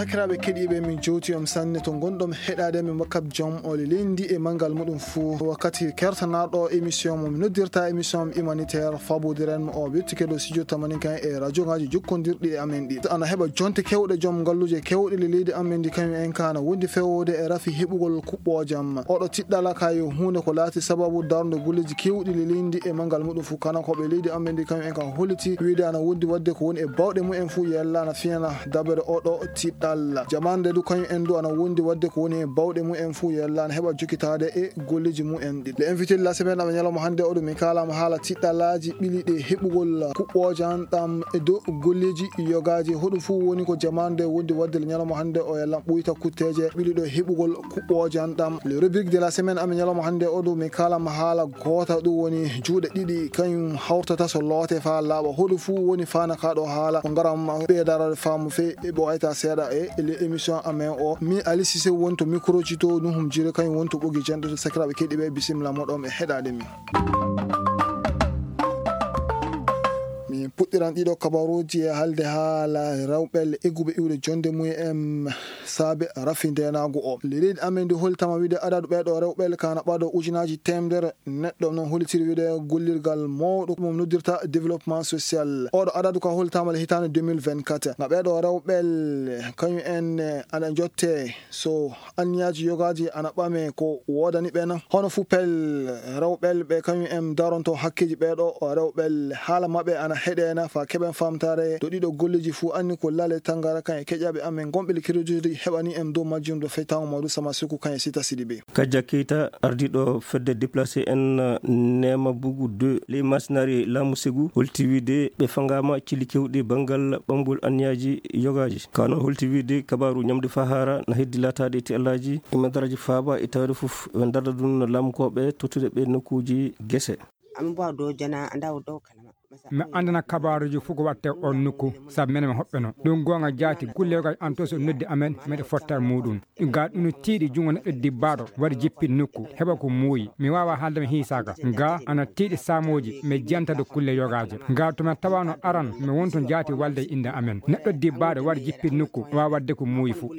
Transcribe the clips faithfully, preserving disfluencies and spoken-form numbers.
Sakiraaɓe keɗiiɓe, min jowti on sanne to ngonɗon heɗaade min wakkati jom o leydi e manngal muɗum fuu. Wakkati kertanaaɗo émission mo mi noddirta émission humanitaire, fabodiren mo o wettike ɗo studio tamaninka e radiogaaji jokkondirɗi e amen ɗi. Ana heɓa jonte kewɗe jom ngalluuje kewɗe le leydi amen ndi, kañum en ka ana wondi fewde e rafi heɓugol kuɓɓoojam. Oɗo tiɗɗala ka yo huunde ko laati sababu darnde golleeji kewɗi le leydi e manngal muɗum fuu. Kana ko ɓe leydi amen ndi, kañum en ka holliti wiide ana wondi waɗde ko woni e bawɗe mumen fuu yella ana fiyana dabere oɗo tiɗɗal. Jamaande du kañum en du ana wondi waɗde ko woni e bawɗe mumen fuu yella ana heɓa jokkitaade e golleeji mumen ɗi. Le invité de la semaine amen ñalawma hannde oɗo min kaalama haala tiɗɗalaaji ɓiliɗe heɓugol kuɓɓoojam ɗam e dow golleeji yogaaji. Hoɗum fuu woni ko jamaande wondi waɗde le ñalawma hannde o yalla ɓuyta kutteeje ɓiliɗo heɓugol kuɓɓoojam ɗam. Le rubrique de la semaine amen ñalawma hannde oɗo min kaalama haala goota ɗum woni juuɗe ɗiɗi kañum hawtata so loote faa laaɓa. Hoɗum fuu woni faana ka ɗo haala ko ngaram ɓeydarade faamu fe e ɓo ayta seeɗa e le émission amen o. Mi Ali Cissé woni to micro ji to Nuhum Jire kañum woni to ɓogi janɗude sakiraaɓe keɗiiɓe bisimilla moɗon e heɗaade min. Min puɗɗiran ɗiɗo kabaruuji e haalde haala rewɓe egguɓe iwde jonde mumen saabe rafi ndeenaagu o. Le leydi amen ndi holtama wiide adadu ɓeeɗo rewɓe ka ana ɓaado ujunaaji teemedere neɗɗo, noon hollitiri wiide gollirgal mawɗo mo noddirta développement social. Oɗo adadu ka holtama le hitaande deux mille vingt-quatre. Nga ɓeeɗo rewɓe kañum en ana jotte so anniyaaji yogaaji ana ɓame ko woodani ɓe na. Hono fuu pel rewɓe ɓe kañum en daronto hakkeeji ɓeeɗo rewɓe haala maɓɓe ana heɗeena fa keɓen famtare to ɗiɗo golleeji fuu anni ko lale tangara kan e keƴaɓe amen gonɓe le crédit heɓani en dow majjum do feytaŋo mawɗo sama suku kan e sita sidi ɓe. Kajja Keita, ardiiɗo fedde déplacé en, Neema Bugu deux, ley masinari laamu Segu, holti wiide ɓe fangaama cili kewɗi banngal ɓamgol anniyaaji yogaaji. Ka noon holti wiide kabaaru ñamde faa haara na heddi laataade e tiɗɗalaaji e madaraji faaba e tawde fof ɓe darda ɗum laamukooɓe tottude ɓe nokkuuji gese. Amin mbo dow jana anda o dow kanama. Mi anndana kabaaruuji fof ko waɗte oon nokku, sabu menen mi hoɓɓeno. Ɗum goonga jaati, kulle yoga an to so noddi amen, meɗe fotta e muuɗum. Ga ɗum no tiiɗi junngo neɗɗo dibbaaɗo, waɗi jippi nokku, heɓa ko muuyi. Mi waawa haalde mi hiisaaka. Ga ana tiiɗi saamooji, mi janta do kulle yogaaje. Ga to mi tawaano aran, mi wonto jaati walde e innde amen. Neɗɗo dibbaaɗo waɗi jippi nokku, waawa waɗde ko muuyi fof.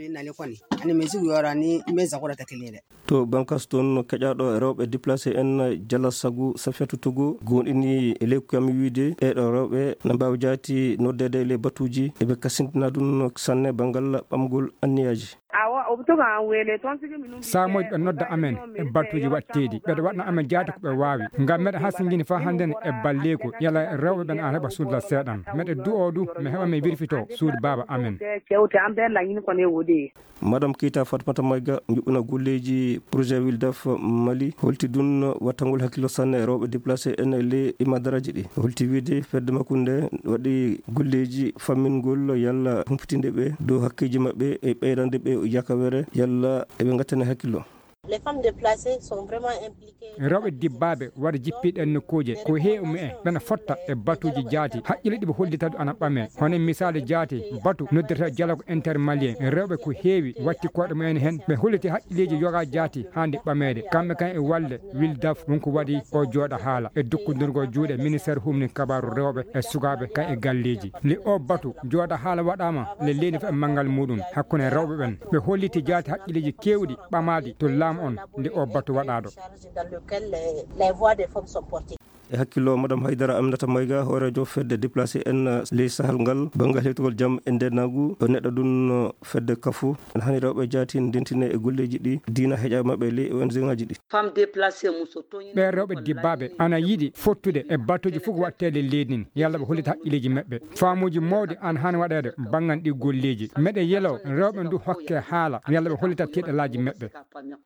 Ani mi sigu yorani, mi sakura takilele. To bankas toon keƴaaɗo rewɓe déplacé en Jala Sagu Safiyatu Togo goonɗini e ley ko kam wiide ɓeeɗo rewɓe na mbaawi jaati noddeede e ley batuuji eɓe kasintina ɗum sanne banngal ɓamgol anniyaaji. Awa, o toga an wele, toon sigi minum. Saamooji ɓe nodda amen e batuuji waɗteeɗi. Ɓeɗo waɗna amen jaati ko ɓe waawi. Ngam meɗa hasingini faa hannden e balleeku, yala rewɓe ɓen an heɓa suudu seeɗan. Meɗe du'oo du, mi heɓa mi wirfito suudu baaba amen. Kewte an ɓe lañin ko ne woodi. Madame Keita Fatmata Maïga, njuɓɓina golleeji projet Wildaf Mali, holti ɗum wattangol hakkillo sanne e rewɓe déplacé en e ley imadaraaji ɗi. Holti wiide fedde makko nde waɗi golleeji fammingol yalla humpitinde ɓe dow hakkeeji maɓɓe e ɓeydande ɓe yakawere yalla eɓe ngattane hakkillo. Les femmes déplacées sont vraiment impliquées. Rewɓe dibbaaɓe waɗa jippiiɗe e nokkuuje ko heewi mumen ɓena fotta e batuuji jaati haqqille ɗi ɓe hollita du ana ɓame. Hono misaali jaati batu noddirta dialogue intermalien. Rewɓe ko heewi watti koɗe mumen heen ɓe holliti haqqilleeji yoga jaati haandi ɓameede. Kamɓe kan e walde Wildaf won ko waɗi o jooɗa haala e dukkondirgol juuɗe ministère humni kabaaru rewɓe e sukaaɓe kan e galleeji. Nde o batu jooɗa haala waɗaama le leydi fof e manngal muɗum hakkunde rewɓe ɓen. Ɓe holliti jaati haqqilleeji keewɗi ɓamaaɗi to laamu on nde o batu waɗaaɗo. Dans lequel les, les voix des femmes sont portées. E hakkillo Madame Haydara Aminata Mayga, hooreejo fedde déplacé en ley sahal ngal, banngal hewtugol jam e ndeenaagu, o neɗɗo ɗum fedde kafu. Ene hani rewɓe jaati ndentine e golleeji ɗi diina heƴa maɓɓe ley O N G ŋaaji ɗi. Femmes déplacées muso toñi. Ɓe rewɓe dibbaaɓe ana yiɗi fottude e batuuji fof ko waɗteede leydi ndin, yalla ɓe hollita haqqilleeji maɓɓe. Faamuuji mawɗi ana hani waɗeede banngal ɗi golleeji. Meɗe yelo rewɓe ndu hokke haala, yalla ɓe hollita tiɗɗalaaji maɓɓe.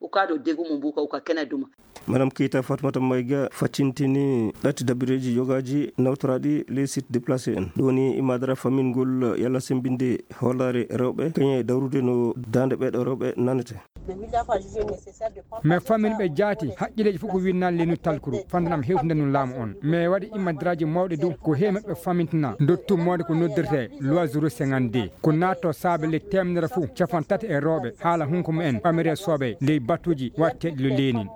Uka ɗo degu mum buka uka kena duma. Madame Keita Fatmata Mayga faccintini ɗatti dabireeji yogaaji nawtoraaɗi les sites déplacés en. Ɗo woni imaadara famminngol yalla semmbinde hoolaare rewɓe, kañe dawrude no daande ɓeeɗo rewɓe nanete. Mais fammin ɓe jaati, haqqilleeji fof ko winnaali leynu talkuru, fandanam hewtinde nun laamu on. Mais waɗi imadaraaji mawɗi du, ko heewi maɓɓe fammintina, ndottu mawde ko noddirtee loi zéro cinquante-deux. Ko naatto saabe le teemedere fof, capan tati e rewɓe, haala hunko mumen, ɓamire soɓe, ley batuuji waɗteeɗi lo leenin.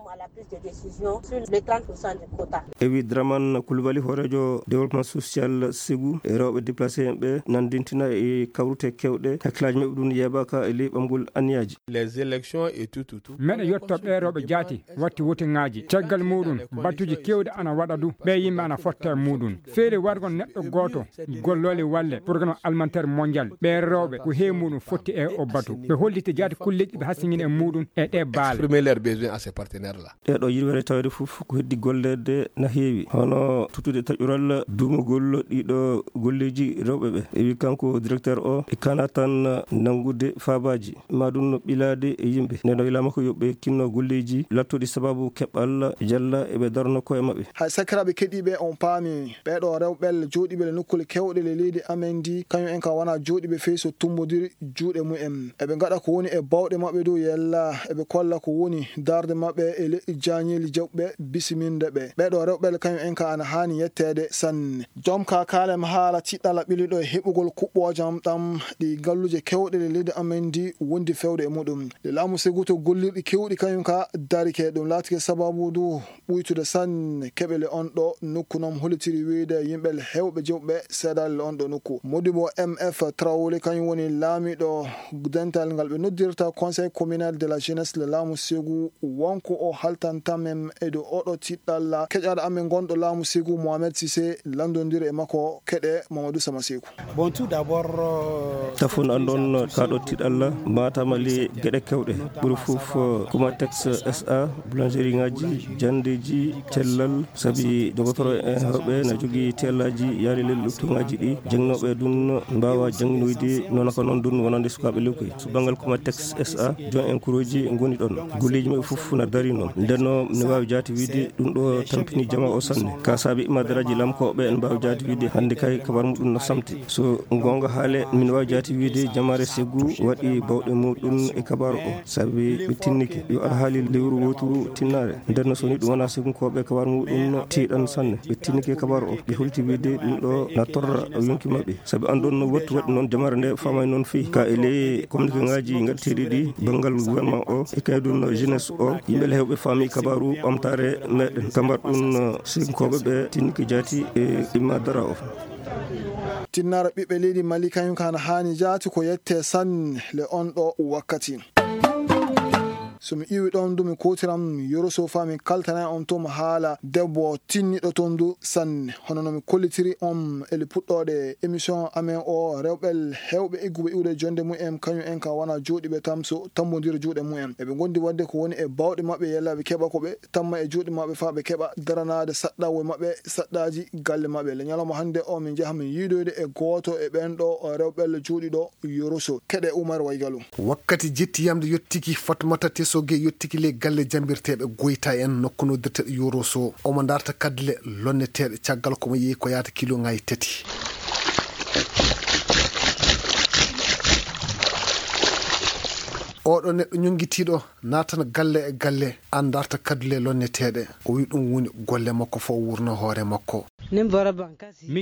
E wi Draman Koulibaly, hooreejo développement social Ségou, e rewɓe déplacé en ɓe nandintina e kawrute kewɗe, hakkillaaji maɓɓe ɗum yeebaaka e ley ɓamgol anniyaaji. Les élections et tout, tout, tout. Meɗe yetto ɓee rewɓe jaati watti wotiŋaaji. Caggal muɗum, battuji kewɗi ana waɗa du, ɓee yimɓe ana fotta e muɗum. Feere wargo neɗɗo gooto golloole walle Programme Alimentaire Mondial. Ɓee rewɓe ko heewi muɗum fotti e o batu. Ɓe holliti jaati kulleeji ɓe hasingini e muɗum e ɗe baale. Exprimer leurs besoins à ces partenaires-là. Ɗeeɗo yirwere tawde fof ko heddi golleede na heewi, hono tottude taƴural duumugol ɗiɗo golleeji rewɓe ɓe. E wi kanko directeur o, e kana tan nanngude faabaaji, ma ɗum no ɓilaade e yimɓe. Nden o wilaama ko yo ɓe kinno golleeji lattuɗi sababu keɓal jalla e ɓe darno koye maɓɓe. Hay sakiraaɓe keɗiiɓe, on paami ɓeeɗo rewɓe jooɗiiɓe le nokkuule kewɗe le leydi amen ndi, kañum en ka wona jooɗiiɓe fey so tummbodiri juuɗe mumen. Eɓe ngaɗa ko woni e bawɗe maɓɓe dow yella, eɓe kolla ko woni darde maɓɓe e leƴƴi jaañeeli jaɓɓe bisiminde ɓe. Ɓeeɗo rewɓe kañum en ka ana haani yetteede sanne. Joom ka kaalem haala tiɗɗala ɓiliɗo e heɓugol kuɓɓoojam ɗam ɗi galluuje kewɗe le leydi amen ndi wondi fewde e muɗum. Le laamu Ségou to gollirɗi kewɗi kañum ka darike, ɗum laatike sababu du ɓuytude sanne keɓele on ɗo nokku noon hollitiri wiyde yimɓe heewɓe jewɓe seedaali on ɗo nokku. Modibo M F Traoré kañum woni laamiɗo dental ngal ɓe noddirta Conseil communal de la jeunesse le laamu Ségou, wonko o haltanta men e dow oɗo tiɗɗalla keƴaɗo amen gonɗo laamu Ségou Mohamed Cissé, lanndondiri e makko keɗe Mamadou Sama Ségou. Bon, tout d'abord, euh, tafon an ɗon kaɗo tiɗalla matama le geɗe kewɗe ɓuri fof, euh, Comatex S A, boulangerie ngaji, jandeji, cellal, sabi dogotoro en heewɓe na jogii tellaji yaade lel ɗoftuŋaaji ɗi, janngooɓe ɗum mbaawa jannginoyde, noon ko noon ɗum wonande sukaaɓe lewkoy. So banngal Comatex S A, joom en kuureeji ngoni ɗoon. Golleeji maɓɓe fof na darii noon. Nden noon, ne waawi jaati wiyde ɗum ɗo tampini jama o sanne. Ka saabi imadaraaji lamkooɓe, en mbaawi jaati wiyde hannde kay kabar muɗum na samti. So goonga haale, min waawi jaati wiyde jamaare Ségou waɗi bawɗe muɗum e kabar o. Sabi ɓe tinnike yo alhaali lewru wooturu tinnaare. Nden no so ni ɗum wonaa Segunkooɓe, kabar muɗum no tiiɗan sanne. Ɓe tinnike kabar o, ɓe holti wiyde ɗum ɗo na torra yonki maɓɓe. Sabi an ɗon no wattu waɗi noon jamaare nde faamay noon fii. Ka e ley communiqué ngaji ngatteeɗi ɗi, banngal gouvernement o, e kay ɗum no jeunesse o, yimɓe le heewɓe faami kabaru ɓamtaare meɗen. Kambar ɗum no Segunkooɓe ɓe tinnike jaati e imma dara o. Tinnaare ɓiɓɓe leydi Mali kañum ka na haani jaati ko yette sanne le on ɗo wakkati. So mi iwi ɗon du mi kuutiram Yoro Sofa mi kaltana on to mo haala debbo tinniɗo ton du sanne. Hono no mi kollitiri on eli puɗɗoɗe émission amen o, rewɓe heewɓe egguɓe iwde jonde mumen kañum en ka wona jooɗiɓe tam so tambodira juuɗe mumen. Eɓe gondi wadde ko woni e bawɗe maɓɓe yalla ɓe keɓa ko ɓe tamma e juuɗe maɓɓe faa ɓe keɓa daranaade saɗɗawo maɓɓe, saɗɗaaji galle maɓɓe. Le ñalawma hannde o min njaha min yiidoyde e gooto e ɓen ɗo rewɓe le juuɗiɗo Yoroso. Keɗe Umar Waygalu. Wakkati jetti yamde yottiki Fatmata Tesoge yottiki le galle jambirteeɓe Goyta en nokku noddirteeɗo Yoroso. Omo darta kadle lonneteeɗe caggal ko mo yehi ko yaata kilo ngayi tati. Oɗo neɗɗo ñongitiiɗo naatan galle e galle, an darta kadule lonneteeɗe. O wi ɗum woni golle makko fof wurno hoore makko. Min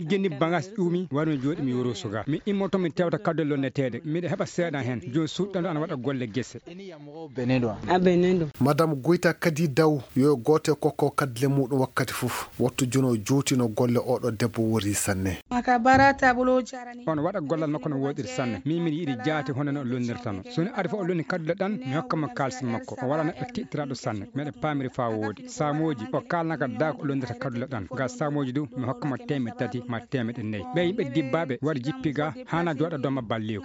jeni bagas ƴuumi wano jooɗi mi Yoroso ga. Mi immoto mi tewta kadule lonneteeɗe. Miɗa heɓa seeɗa hen. Joni suuɗɗanɗo ana waɗa golle gese. Madame Goyta kadi daw yo gooto e kokko kadule muɗum wakkati fof. Wattu jono jootino golle oɗo debbo wori sanne. On waɗa gollal makko no woɗiri sanne. Min miɗa yiɗi jaati hono no o lonnirtano. So ni ari fof o lonni kadule ɗan, mi hokka mo kaalis makko. O wala neɗɗo tiɗtiraaɗo sanne. Meɗe paamiri faa woodi. Saamooji, o kaalnaka daa ko o lonnirta kadule ɗan. Ga saamooji du, mi hokka mo teemeɗɗe tati ma teemeɗɗe nayi. Ɓe yimɓe dibbaaɓe wari jippi ga, hana jooɗa dooma balleeku.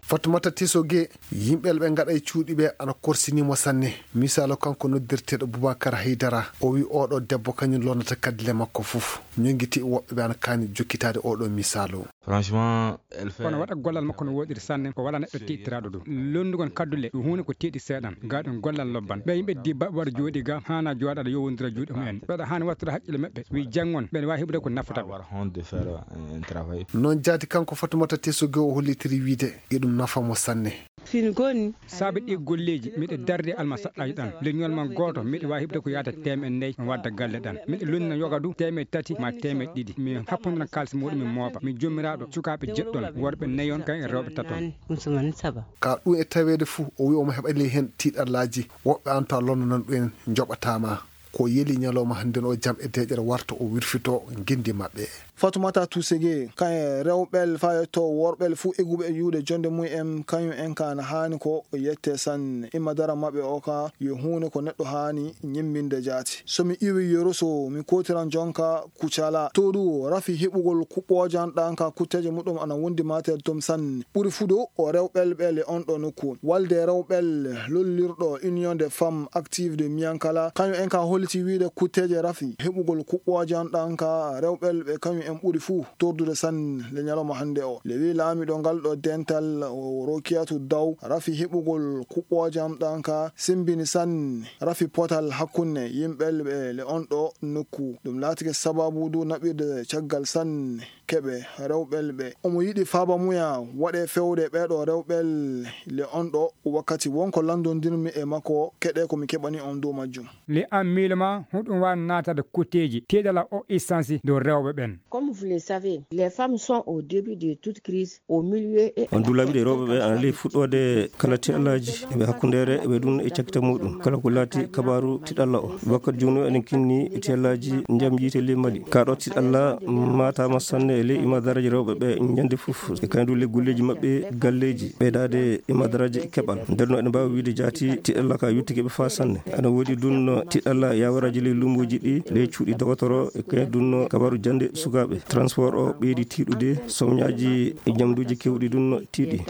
Fatmata Tisoge, yimɓe ɓe ngaɗa e cuuɗi ɓe ana korsini mo sanne. Misaalu kanko noddirteeɗo Boubacar Haydara, o wi oɗo debbo kañum lonnata kadule makko fof. Ñongiti woɓɓe ɓe ana kaani jokkitaade oɗo misaalu. Franchement, elle fait. Kono waɗa gollal makko no woɗiri sanne, o wala neɗɗo tiiɗtiraaɗo ɗum. Lonnugol kaddule, ɗum huunde ko tiiɗi seeɗan, ga ɗum gollal lobban. Ɓe yimɓe dibba wara jooɗi ga, hana jooɗaɗo yowondira juuɗe mumen. Ɓeɗa hani wattude haqqille maɓɓe, wi janngon, ɓen wawi heɓude ko nafata ɓe. Avoir honte de faire un travail. Noon jaati kanko Fatumata Tesoge o hollitiri wiide, iɗum nafa mo sanne. Fin goni. Saabe ɗi golleeji, miɗo darde almasaɗɗaaji ɗan. Leñol man gooto, miɗo waawi heɓde ko yaata teemeɗɗe nayi, mi wadda galle ɗan. Miɗo lonnina yoga du, teemeɗɗe tati ma teemeɗɗe ɗiɗi. Mi happondina kaalis muɗum, mi mooɓa. Mi jommiraaɗo, cukaaɓe jeɗɗon, worɓe nayon, kañ e rewɓe taton. Ka ɗum e taweede fuu, o wi'i omo heɓa ley heen tiiɗallaaji. Woɓɓe an tawa lonnanan ɗum en, njoɓataa ma. Ko yeli ñalawma hannden o jam e deeƴere warta o wirfito nginndi maɓɓe. Fatumata Tusege, kañ e rewɓel faa yetto worɓel fuu eguɓe e juuɗe jonnde mum en, kañum en ka ana haani ko yette sanne. Imma dara maɓɓe o ka yo huunde ko neɗɗo haani ñimminde jaati. So mi iwi Yoroso, mi kootiran jonka Kucala. To du rafi heɓugol kuɓɓoojan ɗan ka kutteeje muɗum ana wondi mater tom sanne. Ɓuri fuu du o rewɓel ɓe le on ɗo nokku. Walde rewɓel lollirɗo Union des Femmes Actives de Miankala, kañum en ka holliti wiide kutteeje rafi heɓugol kuɓɓoojan ɗan ka rewɓel ɓe kañum en ɓuri fuu tordude sanne le ñalawma hannde o. Le wi laamiɗo ngal ɗo dental o Rokiyatu Daw, rafi heɓugol kuɓɓoojan ɗan ka simbini sanne rafi potal hakkunde yimɓel ɓe le on ɗo nokku. Ɗum laatike sababu du naɓirde caggal sanne keɓe rewɓel ɓe. Omo yiɗi faaba muya waɗe fewde ɓeeɗo rewɓel le on ɗo wakkati wonko lanndondirmi e makko keɗe ko mi keɓani on dow majjum. Le an miilo ma, hoɗum waawi naatade kutteeji tiiɗalla o essence dow rewɓe ɓen? Comme vous le savez, les femmes sont au début de toute crise, au milieu et On dulaɓiɗe rewɓe ɓe ana ley fuɗɗoode kala tiiɗallaaji ɓe hakkundeere ɓe ɗum e cakkita muɗum. Kala ko laati kabaaru tiiɗalla o. Wakkati jooni o eɗen kinni tiiɗallaaji ndiyam yiite ley Mali. Ka ɗo tiiɗalla maataama sanne e ley imadaraaji rewɓe ɓe ñande fof. E kañum du ley golleeji maɓɓe galleeji ɓeydaade imadaraaji keɓal. Nder no eɗen mbaawi wiide jaati tiiɗalla ka yottike ɓe faa sanne. Ana woodi dun tiiɗalla yawaraaji ley luumbooji ɗi, ley cuuɗi dogotoro, e kañum dun kabaaru jannde sukaaɓe. Transport o ɓeydi tiiɗude, sowñaaji e ñamduuji keewɗi dun tiiɗi.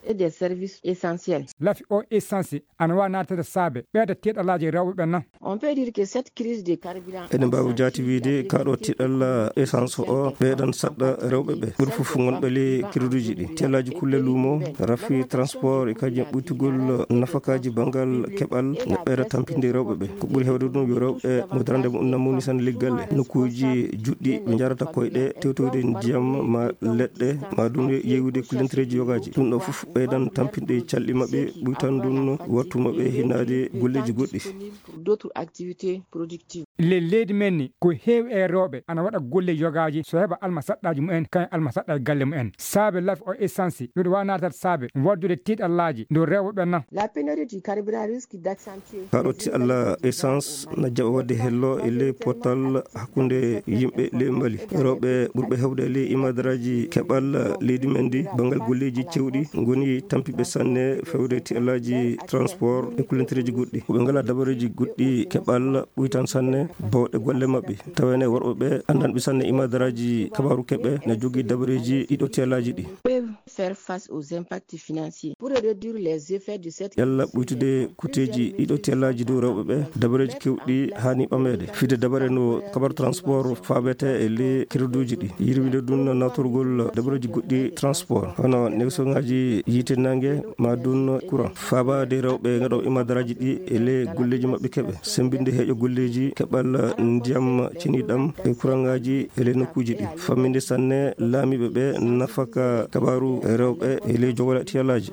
Et des services essentiels. Lafi o essence ana waawi naatade saabe ɓeyda tiiɗallaaji rewɓe ɓen na? On peut dire que cette crise de carburant Eɗen mbaawi jaati wiide ka ɗo tiiɗalla essence o ɓeydan saɗɗa rewɓe ɓe. Ɓuri fof ngonɓe ley créditji ɗi. Tiiɗallaaji kulle luumo, rafi transport e kañum ɓuytugol nafakaaji banngal keɓal ne ɓeyda tampinde rewɓe ɓe. Ko ɓuri heewde ɗum yo rewɓe mo darande muɗum namuni sanne ley galle. Nokkuuji juɗɗi ɓe njarata koyɗe, tewtoyde ndiyam ma leɗɗe, ma ɗum yeewude kullentereeji yogaaji. Ɗum ɗo fof ɓeydan tampinde calɗi maɓɓe, ɓuytan ɗum wattu maɓɓe hinnaade golleeji goɗɗi. Pour d'autres activités productives. Ley leydi men ni, ko heewi e rewɓe ana waɗa golle yogaaji so heɓa alma saɗɗaaji mumen, kañum alma saɗɗa e galle mumen. Saabe lafi o essence, hiɗo waawi naatade saabe waddude tiiɗallaaji dow rewɓe ɓen na? La pénurie du carburant risque d'accentuer Ka ɗo tiiɗalla essence na jaɓa waɗde hello e ley potal hakkunde yimɓe ley Mali. Rewɓe ɓurɓe heewde e ley imadaraaji keɓal leydi men ndi, banngal golleeji cewɗi, ngoni tampiɓe sanne fewde tiiɗallaaji transport e kullentereeji goɗɗi. Ko ɓe ngalaa dabareeji goɗɗi keɓal ɓuytan sanne bawɗe golle maɓɓe. Tawene worɓe ɓe anndanɓe sanne imadaraaji kabaaru keɓe na jogii dabareeji ɗiɗo tiiɗallaaji ɗi. Peuvent faire face aux impacts financiers. Pour réduire les effets de cette Yalla ɓuytude kuteeji ɗiɗo tiiɗallaaji dow rewɓe ɓe, dabareeji keewɗi haani ɓameede. Fide dabare no kabar transport faabete e ley créditji ɗi. Yirwinde ɗum no nawtorgol dabareeji goɗɗi transport, hono négociationŋaaji yiite naange, ma ɗum courant. Faabaade rewɓe ngaɗo imadaraaji ɗi e ley golleeji maɓɓe keɓe. Sembinde heeƴo golleeji keɓal ndiyam ceniɗam e courantŋaaji e ley nokkuuji ɗi. Famminde sanne laamiiɓe ɓe nafaka kabaaru rewɓe e ley jogole tiiɗallaaji.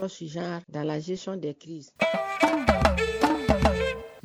Dans la gestion des crises.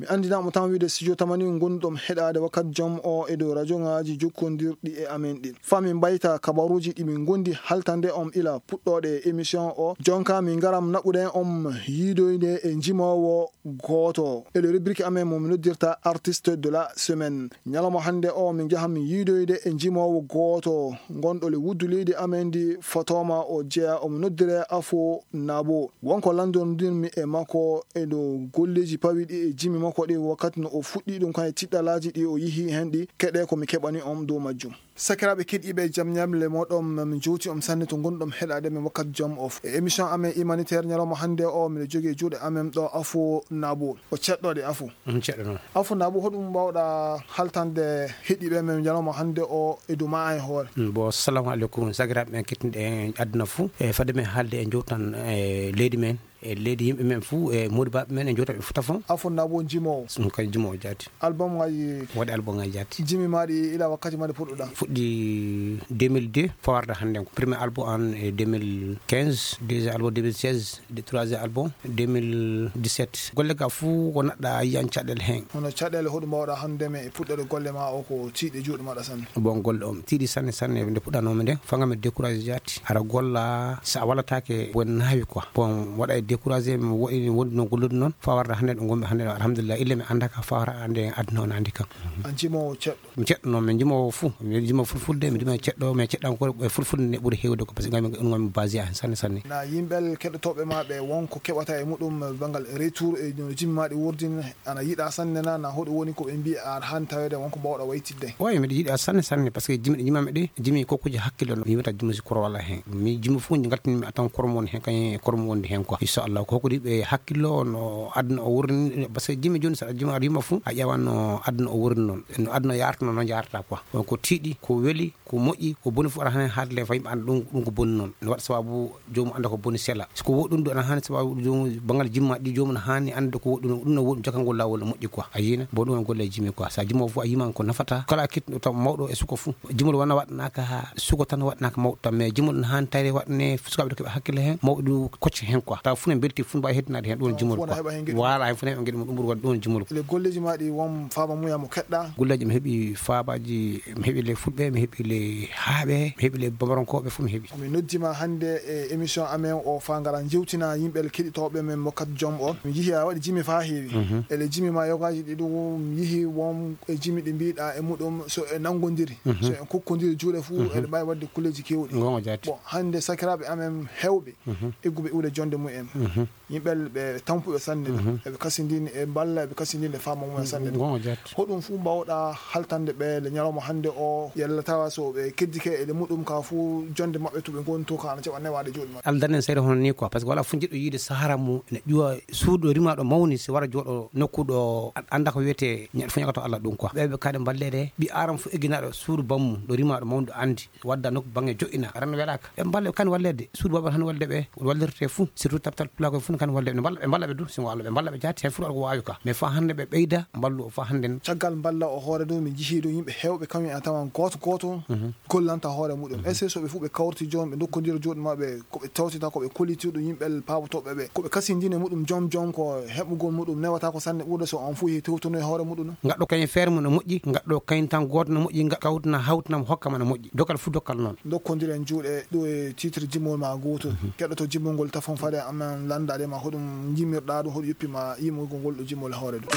Mi anndinaama tan wiide studio tamani ngonɗon heɗaade wakkati jom o e dow rajoŋaaji jokkondirɗi e amen ɗin. Faa min mbayta kabaruuji ɗi min ngondi haltande on ila puɗɗooɗe e émission o. Jonka min ngaram naɓuɗen on yiidoyde e njimoowo gooto. E le rubrique amen mo mi noddirta artiste de la semaine. Ñalawma hannde o min njahan min yiidoyde e njimoowo gooto ngonɗo le wuddu leydi amen ndi fotooma o jeya omo noddire Afo Nabo. Wonko lanndondirmi e makko e dow golleeji pawiɗi e jimi makko ɗi wakkati no o fuɗɗi ɗum kan e tiɗɗalaaji ɗi o yihi hen ɗi keɗe ko mi keɓani on dow majjum. Sakiraaɓe keɗiiɓe jam ñamle moɗon, min jowti on sanne to ngonɗon heɗaade min wakkati jom of. E émission amen humanitaire ñalawma hannde o, miɗo jogii e juuɗe amen ɗo Afo Nabo. O ceɗɗo de Afo. Mm, ceɗɗo noon. Afo Nabo, hoɗum mbawɗa haltande heɗiiɓe men ñalawma hannde o e dow ma e hoore? Mm, bon, assalamu aleykum, sakiraaɓe men keɗiiɓe aduna fuu. E fade men haalde e jowtan e leydi men. E leydi yimɓe men fuu, e moodi baɓe men, e jootaɓe fota fon. A fonna bo jimowo. Ɗum kay jimowo jaati. Album ngaji. Waɗi album ngaji jaati. Jimi maɗi ila wakkati maɗi puɗɗuɗa. Fuɗɗi deux mille deux, fawarde hannde ko. Premier album an e deux mille quinze, deuxième album deux mille seize, de troisième album deux mille dix-sept. Golle ga fuu ko naɗɗa yiyan caɗɗel hen. Hono caɗeele hoɗum mbawɗa hannde me e puɗɗere golle ma o ko tiiɗi juuɗe maɗa sanne. Bon, golle on tiiɗi sanne sanne nde puɗɗanoomi nde, fanga mi découragé jaati. Ara golla, so a wallataake, bon naawi quoi. Bon, waɗa e découragé, mi waɗi, wondi no gollude noon, faa warde hannde ɗo ngonmi hannde ɗo, alhamdulillah, ille mi annda ka faa wara hannde aduna on anndi kam. An jimowo ceɗɗo? Mi ceɗɗo noon, mi jimowo fuu, mi jimowo fulfulde, mi jimowo ceɗɗo, mais ceɗɗankore e fulfulde nde ɓuri heewde ko, parce que ngonmi, ngonmi basé hen sanne sanne. Na yimɓe keɗotooɓe ma ɓe wonko keɓata e muɗum banngal retour e no jimi ma ɗi wurdin, ana yiɗa sanne na, na hoɗum woni ko ɓe mbiya a haani taweede wonko mbawɗa waytidde? Oy, miɗo yiɗa sanne sanne, parce que jimi ɗi jimami ɗi, jimi kokkuji hakkille no, mi yimata jimi si koro wala hen. Mi jimi fof ngaltini mi atan koro mo woni hen, kañum e koro mo wondi hen quoi. Inchallah, ko hokkude ɓe hakkillo no aduna o wurni, parce que jimi joni, so a jimi aɗa yima fof, a ƴewan no aduna o wurni noon. No aduna yarata noon, noon yarata quoi. Donc ko tiiɗi, ko weli, ko moƴƴi, ko boni fof aɗa haani haalde, faa yimɓe annda ɗum, ɗum ko boni noon. No waɗa sababu joomum annda ko boni sela. So ko woɗɗi ɗum, ana haani sababu joomum, banngal jimma ɗi, joomum ana haani annde ko woɗɗi ɗum, ɗum no woɗɗi, jokkan ngol laawol no moƴƴi quoi. A yiina? Bon, ɗum woni golle jimi quoi. So a jimo fof a yiman ko nafata. Kala kittuɗo taw mawɗo e suko fof. Jimol wona waɗanaaka haa suko tan, waɗanaaka mawɗo tan. Mais jimol ana haani tawde waɗane sukaaɓe ɗo keɓa hakkille heen, mawɓe ɗum kocca heen quoi. Taw fof ne mbelti, fof ne mbaawi heddinaade heen, ɗum woni jimol quoi. Fof ne heɓa heen geɗe mum. Voilà, heen fof ne heɓa geɗe mum, ɗum woni waɗde ɗum woni jimol. E le golleji ma ɗi won faaba mum ya mo keɗɗa? Golleji mi heɓi faabaaji, mi heɓi le Fulɓe, mi heɓi le Haaɓe, mi heɓi le Bambarankooɓe, fof mi heɓi. Mi noddima hannde e émission amen o faa ngara njewtina yimɓe keɗitooɓe men Mokkat Jom o. Mi yihi a waɗi jimi faa heewi. Mhm. Ele jimi ma yogaaji ɗi ɗum mi yihi won e jimi ɗi mbiɗa e muɗum so e nanngondiri, mhm, so en kokkondiri juuɗe fuu, mhm, eɗe mbaawi waɗde kulleeji keewɗi. Ngonga jaati. Bon, hannde sakiraaɓe amen heewɓe, mhm, egguɓe iwde jonde mumen. Mhm. Yimɓe ɓe tampuɓe sanne, mhm, eɓe kasindini e mballa, eɓe kasindini e faama mumen sanne. Ngonga jaati. Hoɗum fuu mbawɗa haltande ɓe le ñalawma hannde o, yalla tawa so ɓe keddike e le muɗum ka fuu jonde maɓɓe to ɓe ngoni to ka ana jaɓa newaade juuɗe maɓɓe. Aldanen seeɗa hono ni quoi, parce que wala fof jiɗɗo yiide sahara mum ene ƴuwa suudu ɗo rima ɗo mawni, si wara jooɗo nokku ɗo an-, annda ko wiyetee ñaɗ fof ñagato Allah ɗum quoi. Ɓe ɓe kaɗe mballeede, ɓi aram fof egginaɗo suudu bammum ɗo rima ɗo mawni ɗo anndi. Wadda nokku baŋŋe joƴƴina. Aran welaka. Ɓe mballa, kan walleede. Suudu baaba han walleede ɓe. Wallirte fuu. Surtout taptal pulaakoy fuu kan walleede. Ɓe mballa, ɓe mballa ɓe du. Singo Allah, ɓe mballa ɓe jaati. Hen fuu aɗa ko waawi ka. Mais faa hannde ɓe ɓeyda, mballu o faa hannde. Caggal mballa o hoore ɗum, min njihii ɗum yimɓe heewɓe, kam en a tawan gooto gooto, mhm, gollanta hoore muɗum. Mhm. Est-ce que so ɓe fuu ɓe kawriti jooni, ɓe ndokkondira jooni maɓɓe, ko ɓe tawtita, ko ɓe kollitiri ɗum yimɓe paabotooɓe ɓe, ko ɓe kasindini muɗum joom joom, ko heɓugol muɗum newata ko sanne ɓurde so on fuu yehi tewtonoy hoore muɗum? Ngaɗɗo kañum feere mum no moƴƴi, ngaɗɗo kañum tan gooto no moƴƴi, nga-, kawtina, hawtina mo, hokka ma no moƴƴi. Dokkal fuu dokkal noon. Ndokkondiren juuɗe ɗo e titre jimol ma gooto. Mhm. Keɗoto jimol ngol tafon fade amen lanndaade ma hoɗum jimirɗa ɗum, hoɗum yoppi ma yimugol ngol ɗo jimol e hoore ɗum.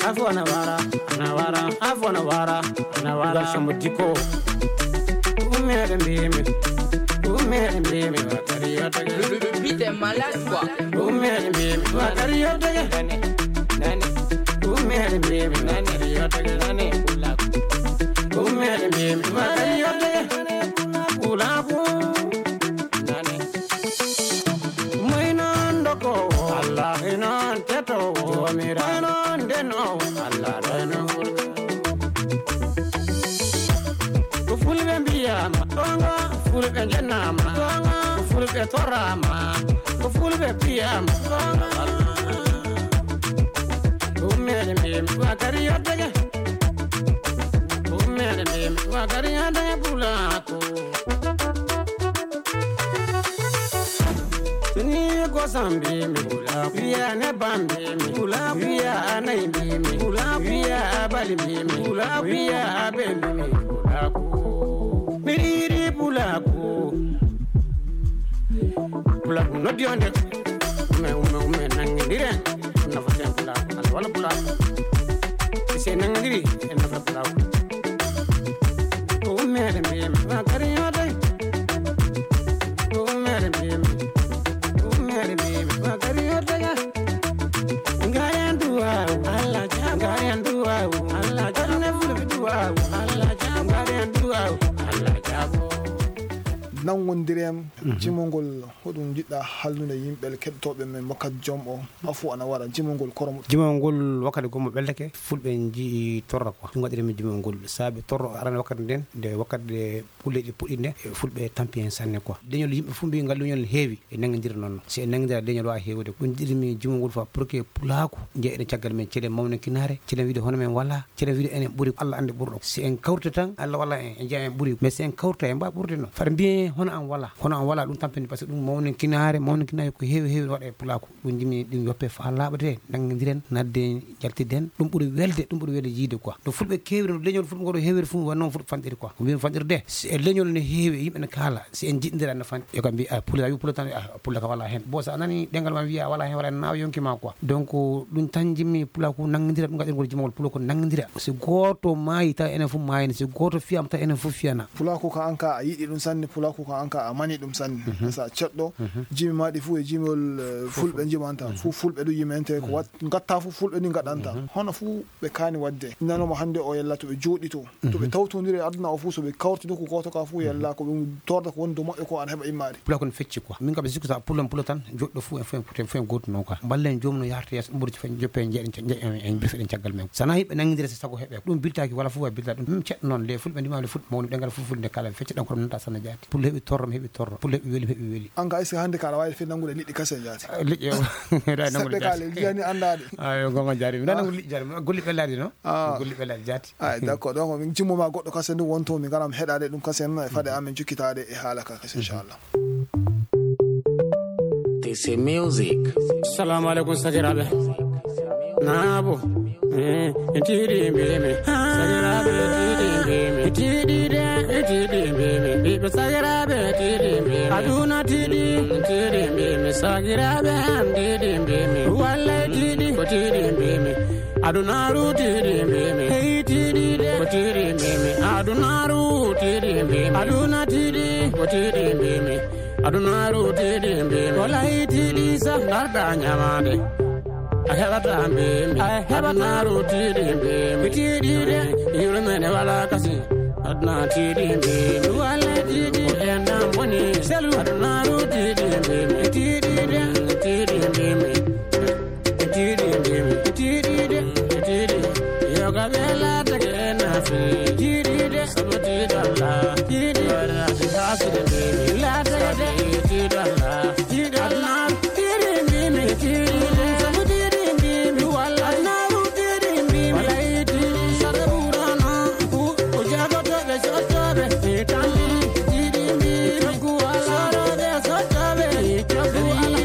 Afo na wara, na wara, afo na wara, na wara. Ngal Samba Diko. Umere mbimi, umere mbimi, wakari yotege. Le, le, le beat est malade, quoi. Umere mbimi, wakari yotege. Nani, nani. Umere mbimi, wakari yotege. Nani, kula. Umere mbimi, wakari yotege. Kula, kula. Nani. Moy noon dokowo, Allah e noon tetowo, Joomiraaɗo e noon ndenoowo, Allah ɗo e noon wuro. Ko fulɓe mbiyaama goonga, fulɓe njenaama goonga, ko fulɓe toraama, ko fulɓe mbiyaama goonga. Ɗum meɗen mbiimi wakati yoddege, ɗum meɗen mbiimi wakati yoddege pulako. Tuni ko sambi mi pulako, wiya ne bambi mi pulako, wiya anayi mbi mi pulako, wiya abali mbi mi pulako, wiya abe mbi mi pulako. Mi riri pulako. Pulako noddi on de. Ume, ume, ume, nangindire. Nafaten pulako. Alwala pulako. Ise nangindiri, en nafa pulako. Umere mbiyam, wakari yodai. Umere mbiyam, umere mbiyam, wakari yodai. Ngari anduwa, Allah jabo. Ngari anduwa, Allah jabo. Ne fulu duwa, Allah jabo. Ngari anduwa, Allah jabo. Nanngondiren jimongol, hoɗum njiɗɗa hallude yimɓe keɗotooɓe men wakkati jom o? Afu ana wara jimongol koromo. Jimongol wakkati gommo ɓeldake, fulɓe nji'i torra quoi. Ɗum waɗiri min jimongol. Saabe torro arana wakkati nden, nde wakkati nde pulle ɗi puɗɗi nde, e fulɓe tampi hen sanne quoi. Leñol yimɓe fof mbi'i ngal leñol ne heewi, e nanngindira noon. Si en nanngindira leñol waawa heewude. Ɗum njiɗiri min jimongol fa pour que pulaaku njeeya eɗen caggal men, celen mawninkinaare, celen wiide hono men wala, celen wiide enen ɓuri, Allah anndi ɓurɗo. Si en kawrita tan, Allah walla en, en njeeya en ɓuri. Mais si en kawrita en mbaa ɓurde noon. Fata mbiyen hono an wala. Hono an wala ɗum tampini, parce que ɗum mawninkinaare, mawninkinaare ko heewi heewi waɗa e pulaaku. Ɗum jimi ɗum yoppe fa laaɓete, nanngindiren, nadde, jaltiden. Ɗum ɓuri welde, ɗum ɓuri welde yiide quoi. No fulɓe keewiri, no leñol fulɓe ngol heewiri fof, wonno noon fulɓe fanɗiri quoi. Ko mbimi fanɗirde, si e leñol ne heewi, yimɓe ne kaala, si en jiɗndira ne fanɗi. E ko mbi, a, pullo, a wi pullo tan, a, pullo ka wala hen. Bon, so a nani ɗengal ma wiya wala hen, wala hen, nawa yonki ma quoi. Donc, ɗum tan jimmi pulaaku nanngindira, ɗum gaɗirgol jimawol pullo ko nanngindira. Si gooto maayi taw enen fof maayani, si gooto fiyama taw enen fof fiyana. Pulaaku ka an ka a yiɗi ɗum sanne, pulaaku ka an ka a mani ɗum sanne. Mhm. Sa ceɗɗo, mhm, jimi ma ɗi fof e jimol, eh, fof, fulɓe jimanta. Mhm. Fof fulɓe ɗum yimente ko, mhm, wat-, ngatta fof fulɓe ni ngaɗanta. Mhm. Hono fof ɓe kaani waɗde. Nanoma hannde o yalla to ɓe jooɗi to. To ɓe, mhm, tawtondiri e aduna o fof, so ɓe kawti nokku gooto ka fof, mhm, yalla ko ɓe torda ko woni dow maɓɓe ko ana heɓa immaade. Pulaaku ne fecci quoi. Min kam mi sikku sa pullo en pullo tan, joɗɗo fof en fof en pullo, fof en gootu noon quoi. Mballen joomum no yahrata yeeso, ɗum ɓuri fof en joppe en jeeɗen, en, en, en mbiɗa feɗen caggal men. Sana yimɓe nanngindira si sago heɓe. Ɗum biltaaki wala fof waɗi bilta ɗum. Ɗum ceɗɗo noon le, fulɓe ndima le fulɓe mawni ɗengal fof fulɓe nde kala fecci ɗan kono nanta sanna jaati. Pullo heɓi torro, mi heɓi torro. Pullo heɓi weli, mi heɓi weli. An ka est-ce que hannde ka aɗa waawi feɗ nanngude liɗɗi kasen jaati? Ah, liƴƴi o. Ɗa nanngu seɗɗe liƴƴi kaale, jaati. Jiyani anndaade. Ah, yo gonga jaari. Mi ɗa, ah, nanngu liƴƴi jaari. Golli ɓe laaɗi no? Ah. Golli ɓe laaɗi jaati. Ay, d'accord. Donc, min jimmo ma goɗɗo kasen ɗum wonto, min ngaram heɗaade ɗum kasen, e faade amen jokkitaade e haala ka kasen, inchallah. This is music. Salamu alaikum, sakiraaɓe. Naabo. Eh, tiiɗi mbimi. Sakiraaɓe, tiiɗi mbimi. Tiiɗi de, tiiɗi mbimi. Ɓiɓɓe sakiraaɓe, tiiɗi mbimi. Aduna tiiɗi, tiiɗi mbimi. Sakiraaɓe am, tiiɗi mbimi. Wallay tiiɗi, ko tiiɗi mbimi. Adunaru tiiɗi mbimi. Hey tiiɗi de, ko tiiɗi mbimi. Adunaru tiiɗi mbimi. Aduna tiiɗi, ko tiiɗi mbimi. Adunaru tiiɗi mbimi. Wallay tiiɗi sa ngarda ñamaade. A heɓata mbimi. A heɓata. Adunaru tiiɗi mbimi. Tiiɗi de, yurmene wala kasi. Aduna tiiɗi mbimi. Wallay tiiɗi. Ko en ɗan boni. Selu. Adunaru tiiɗi mbimi. Tiiɗi de, tiiɗi mbimi. Tiiɗi mbimi. Tiiɗi de, tiiɗi. Yo gabe laatake en afi. Tiiɗi de, sabu tiiɗalla. Tiiɗi. Wala si haside mbimi. Laatake de, tiiɗalla. Tiiɗalla. Tiiɗi mbimi. Tiiɗi de, sabu tiiɗi mbimi. Walla naaru tiiɗi mbimi. Wala tiiɗi. Sara ɓurano. Ku, ku jagotoɓe sottoɓe. Tiiɗi mbimi. Ku wala. Soroɓe sottoɓe.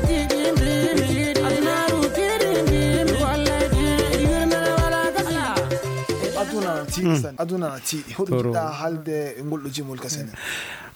Tiiɗi mbimi. Aduna na tiiɗi. Mm. San, aduna na tiiɗi. Hoɗum jiɗɗa haalde e ngol ɗo jimol ka Senegal?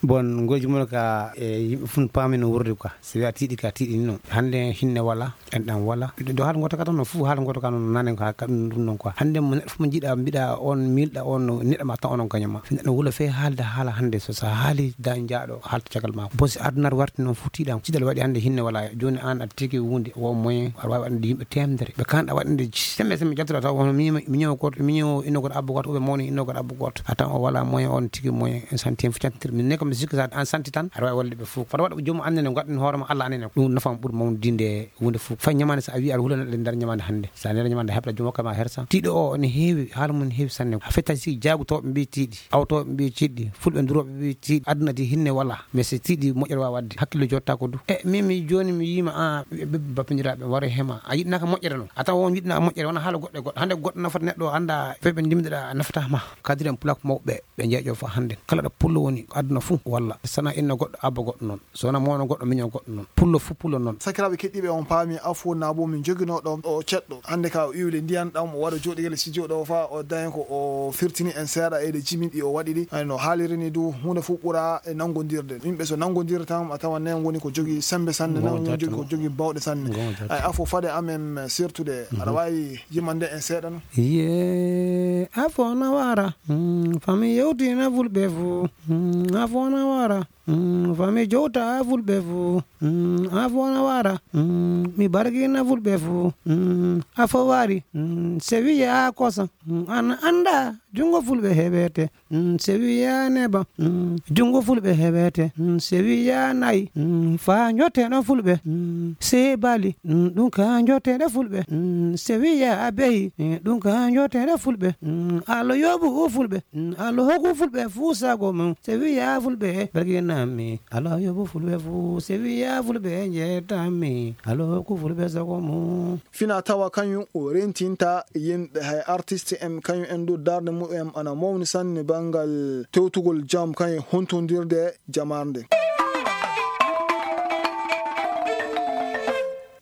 Bon, ngol jimol ka, e, yimɓe fof paami no wuurde quoi. Si wiya tiiɗi ka tiiɗi ni noon. Hannde hinne wala, en ɗan wala. Ɗo haala ngoto ka tan no fof haala ngoto ka noon nane ka, ka ɗum, ɗum noon quoi. Hannde mo neɗɗo fof mo jiɗa, mbiɗa on, miilɗa on, no neɗɗo ma tan onon kañum ma. Neɗɗo wula fe haalde haala hannde so, so haali da jaaɗo haalta caggal ma. Bon, si aduna warti noon fof tiiɗam. Ciɗal waɗi hannde hinne wala. Jooni an aɗa tigi wunde, wo moyen, aɗa waawi waɗande yimɓe teemedere. Ɓe kaanɗa waɗande sembe, sembe jaltuɗa taw, hono miño, miño goto, miño inno goto abbo goto, oɓe mawni inno goto abbo goto. A tan o wala moyen, on tigi moyen, en santi en fof cantitir. Min ne kam mi sikki sa an santi tan, aɗa waawi wallude ɓe fof. Fota waɗa ko joomum annene, waɗan hoore ma Allah annene. Ɗum nafa ɓuri mawnude wunde fof. Fay ñamaande sa a wi aɗa hulana ɗe nder ñamaande hannde. Sa nera ñamaande heɓta joom hokka ma hersa. Tiiɗo o ne heewi, haala mum ne heewi sanne. A fetta si jaagu tawɓe mbi tiiɗi. Awtooɓe mbi tiiɗi, fulɓe durooɓe mbi tiiɗi, aduna di hinne wala. Mais si tiiɗi moƴƴere waawa waɗde, hakkille jotta ko du. E, min mi jooni mi yiima, a, ɓe, ɓe bappindiraaɓe waro hema. A yiɗnaka moƴƴere noon. A tawa on yiɗnaka moƴƴere, wona haala goɗɗo e goɗɗo. Hannde goɗɗo nafata neɗɗo, annda, fewɓe ndimdiɗa nafata ma. Kadiren pulak mawɓe, ɓe jeeƴo fa hannde. Kala ɗo pullo woni, aduna fuu walla. Sana inno goɗɗo, abba goɗɗo noon. So wona mawno goɗɗo, miño goɗɗo noon. Pullo fuu pullo noon. Sakiraaɓe keɗiiɓe, on paami afo naabo min joginoo ɗo o ceɗɗo. Hannde ka o iwli ndiyan ɗam, o waɗa jooɗigel studio ɗo fa o daña ko o firtini en seeɗa e ɗe jimin ɗi o waɗi ɗi. Ay no haaliri ni du, huunde fof ɓura e nanngondirde. Yimɓe so nanngondirde tan, a tawa nen woni ko jogii semmbe sanne, nen woni jogii ko jogii bawɗe sanne. Ay afo fade amen sirtude, aɗa waawi yimande en seeɗa no? Ye, afo na wara. Mm, fami yewtina fulɓe fof. Mm, afo na wara. Mm, fami jowta fulɓe fof. Mm, afo na wara. Mm, mi barkina fulɓe fof. Mm, afo wari. Mm, se wiya kosa. Mm, an annda. Junngo fulɓe heɓete, mm, sewi ya neba, mm, junngo fulɓe heɓete, mm, sewi ya nayi, mm, faa njotteno fulɓe, mm, seebali, mm, ɗum ka njottede fulɓe, mm, sewi ya beyi, mm, ɗum ka njottede fulɓe, mm, Allah yoɓu fulɓe, mm, Allah hokku fulɓe fuu sago mum, sewi ya fulɓe, barkinami, Allah yoɓu fulɓe fuu, sewi ya fulɓe, njettanmi, Allah hokku fulɓe sago mum. Fina tawa kañum o rentinta yimɓe, hay artiste en kañum en du darde mumen ana mawni sanne banngal tewtugol jam kañum hontondirde jamarde.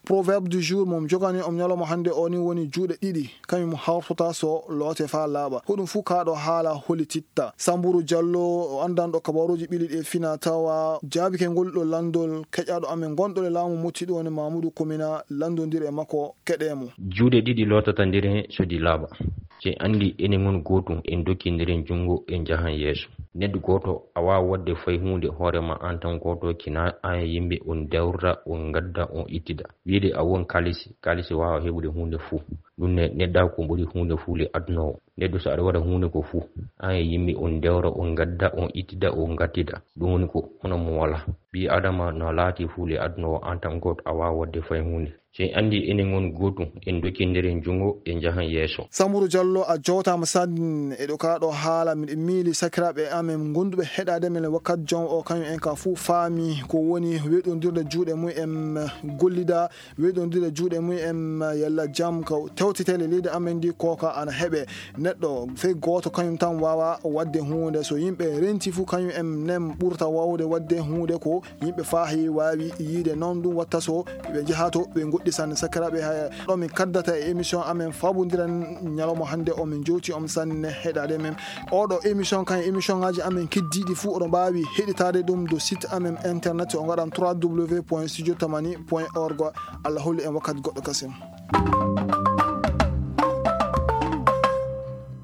Proverbe du jour mo mi jogani on ñalawma hannde o ni woni juuɗe ɗiɗi kañum hawtota so loote faa laaɓa. Ko ɗum fuu kaa ɗo haala hollititta. Samburu Jallo, o anndanɗo kabaruuji ɓili ɗi e fina tawa, jaabike ngol ɗo lanndol, keƴaaɗo amen gonɗo e laamu Motti ɗo woni Mamudu Komina, lanndondir e makko, keɗee mo. Juuɗe ɗiɗi lootata nder heen so ɗi laaɓa. Si en anndi enen ngon gootum, en dokkindiren junngo, en njahan yeeso. Neɗɗo gooto a waawaa waɗde fay huunde hoore ma aan tan gooto, kinaa aan e yimɓe on dewra, on ngadda, on ittida. Wiide a won kaalisi, kaalisi waawaa heɓude huunde fuu. Ɗum ne, neɗɗaaku ɓuri huunde fuu le aduna o. Neɗɗo so aɗa waɗa huunde ko fuu, aan e yimɓe on dewra, on ngadda, on ittida, on ngattida. Ɗum woni ko hono mo walaa. Ɓii Adama no laati fuu le aduna o, aan tan gooto a waawaa waɗde fay huunde. Si en anndi enen ngon gootum, en dokkindiren junngo, en njahan yeeso. Samburu Jallo, a jootaama sanne e ɗo kaa ɗo haala. Miɗo miili sakiraaɓe amen ngonduɓe heɗaade men wakkat jom o, kañum en ka fuu faami ko woni weɗondirde juuɗe mum en gollida, weɗondirde juuɗe mum en yalla jam ka tewtitele leydi amen ndi, kooka ana heɓe. Neɗɗo fey gooto kañum tan waawa waɗde huunde. So yimɓe renti fuu kañum en nen ɓurta waawde waɗde huunde ko yimɓe faahi waawi yiide. Noon ɗum watta so ɓe njaha to ɓe ngoɗɗi sanne. Sakiraaɓe, hay ɗo min kaddata e émission amen Fabondiren ñalawma hannde o, min jowti on sanne heɗaade men. Oɗo émission kan émission ngaji amen keddiiɗi fuu oɗo mbaawi heɗitaade ɗum do site amen internet o ngaɗan trois W point studio tamani point org. Allah holli en wakkati goɗɗo kasen.